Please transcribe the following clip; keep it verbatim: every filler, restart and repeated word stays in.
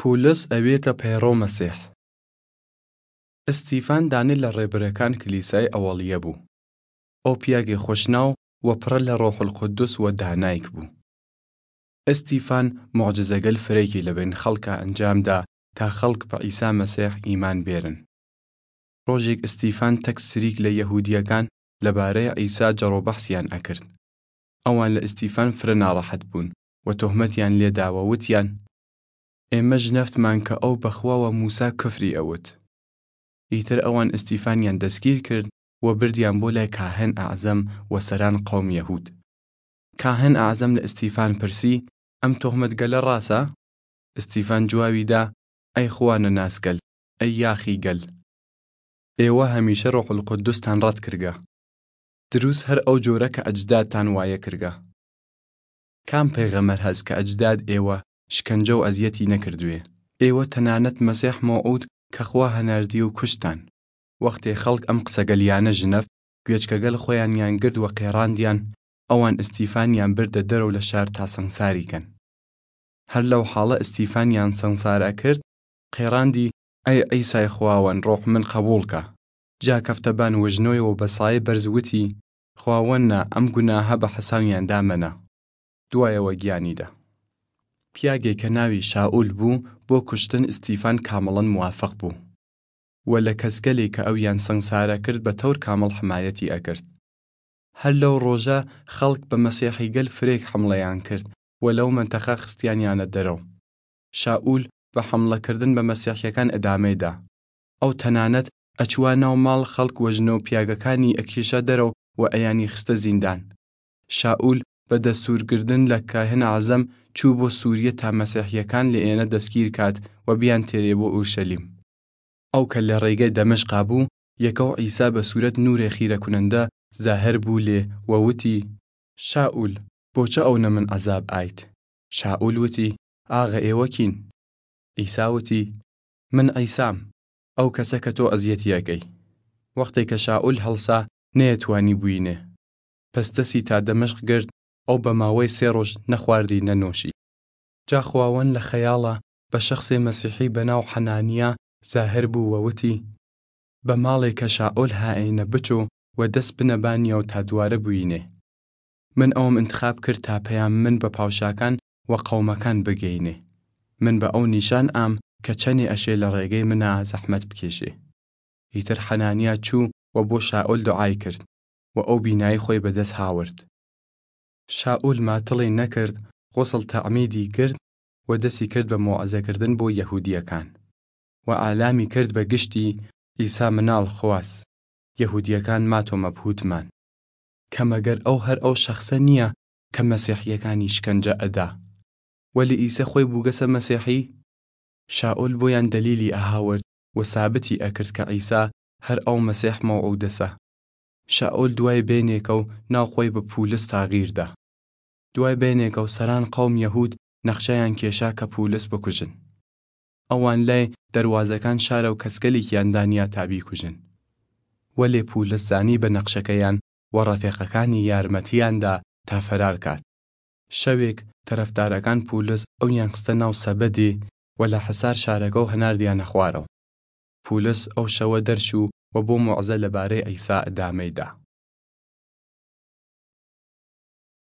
پولس ئەوێتە پەیڕەو مەسیح. ئستیفان دانێ لە ڕێبەرەکان کلیسای ئەوەڵیە بۊ. ئەو پیاگێ خوەشناو و پڕە لە ڕۆح القودس و دانایگ بۊ. ئستیفان موعجزەگەل فرەیگێ لەبەین خەڵکا ئەنجام دا تا خەڵک بە عیسا مەسیح ئیمان بێرن. ڕۆژێگ ئستیفان تەک سریک لە یەهوودیەکان لەبارەێ عیسا جەڕەو بەحسیان ئەکرد. ئەوان لە ئستیفان فرە ناڕەحەت بۊن و تۆهمەتیان لێ دا و وتیان، ئێمە ژنەفتمان کە ئەو بە خوا و مووسا کفری ئەوت. ئیتر ئەوان ئستیفانیان دەسگیر کرد و بردیان بۆ لای کاهن ئەعزەم و سەران قەوم یەهوود. کاهن ئەعزەم لە ئستیفان پرسی، ئەم تۆهمەتگەلە ڕاسە؟ ئستیفان جواوی دا، ئەی خوانەناسگەل، ئەی یاخیگەل! ئێوە هەمیشە ڕۆح القودستان ڕەت کردگە. دروس هەر ئەو جۆرە کە ئەجدادتان وایە کردگە. کام پێغەمەر هەس کە ئەجداد ئێوە شکەنجە و ئەزیەتی نەکردوێ؟ ئێوە تەنانەت مەسیح مەوعوود کە خوا هەناردیە و کوشتتان. وەختێ خەڵک ئەم قسەگەلیانە ژنەفت، گوێچکەگەل خوەیانیان گرد و قێڕاندیان، ئەوان ئستیفانیان بردە دەرەو لە شار تا سەنگساری کەن. هەر لەو حاڵە ئستیفانیان سەنگسار ئەکرد، قێڕاندی، ئەی عیسای خواوەن، ڕۆح من قەبووڵ کە. جا کەفتە بان وژنۆی و بە سایێ بەرز وتی، خواوەننا، ئەم گوناهە بە حەساویان دا مەنە. دوایەوە گیانی دا. پیاگێ کە ناوی شائول بۊ، بۆ کوشتن ئستیفان کامڵەن موافق بۊ. و لە کەسگەلێ کە ئەویان سەنگسارە کرد بە تەور کامڵ حمایەتی ئەکرد. هەر لەو ڕۆژە خەڵک بە مەسیحیگەل فرەێگ حمڵەیان کرد و لەو مەنتەقە خستیانیانە دەرەو. شائول بە حمڵە کردن بە مەسیحیەکان ئدامەێ دا. ئەو تەنانەت ئەچوە ناو ماڵ خەڵک و ژنە و پیاگەکانی ئەکیشا دەرەو و ئەیانی خستە زیندان. شائول بە دەستوور گردن لە کاهن ئەعزەم چوو بۆ سووریە تا مەسیحیەکان لە ئێنە دەسگیر کات و بیان تێرێ بۆ ئورشەلیم. ئەو کە لە ڕێگەێ دەمشقا بۊ، یەکەو عیسا بە سوورەت نوورێ خیرەکونەندە زاهر بۊ لێ و وتی، شائول، بۆچە ئەونەمن عەزاب ئایت؟ شائول وتی، ئاغە ئێوە کین؟ عیسا وتی، من عیسام، ئەو کەسە کە تۆ ئەزیەتی ئەکەی. وەختێ کە شائول هەڵسا، نەیەتوانی بوینێ. پەس دەسی تا دەمشق گرد، ئەو بە ماوەی سێ ڕۆژ نەخواردی نەنۆشی. جا خواوەن لە خەیاڵا بە شەخسێ مەسیحی بە ناو حەنانیا زاهر بۊ و وتی، بە ماڵێ کە شائول هائەینە بچۆ و دەس بنە بانیەو تا دووارە بوینێ. من ئەوم ئنتخاب کرد تا پەیام من بە پاوشاکان و قەومەکان بگەینێ. من بە ئەو نیشان ئام کە چەنێ ئەشێ لە ڕێگەی منا زەحمەت بکێشێ. ئیتر حەنانیا چوو و بۆ شائول دوعای کرد و ئەو بینایی خوەی بە دەس هاورد. شائول ماتڵی نەکرد، غوسڵ تەعمیدی گرد و دەسی کرد بە موعزەکردن بۆ یەهوودیەکان و ئالامی کرد بە گشتی، عیسا مناڵ خواس، یەهوودیەکان ماتۆ مەبهووتمان. کە مەگەر ئەو هەر ئەو شەخسە نییە کە مەسیحیەکانی شکەنجە ئەدا، وەلی ئیسە خوەی بووگەسە مەسیحی؟ شائول بۆیان دەلیلی ئەهاورد و سابتی ئەکرد کە عیسا هەر ئەو مەسیح مەوعوودەسە. شائول دوای بەینێکەو ناو خوەی بە پولس تاغیر دا. دوای بەینێکەو سەران قەوم یەهوود نەخشەیان کێشا کە پولس بکوژن. ئەوان لای دەروازەکان شارەو کەسگەلیکیان دانیا تا بیکوژن. وەلێ پولس زانی بە نەخشەکەیان و ڕەفێقەکانی یارمەتیان دا تا فەرار کات. شەوێک تەرەفدارەکان پولس ئەویان خستە ناو سەبەدێ و لە حەسار شارەگەو هەناردیانە خوارەو. پولس ئەو شەوە دەرچوو و بۆ موعزە لەبارەی عیسا ئدامەی دا.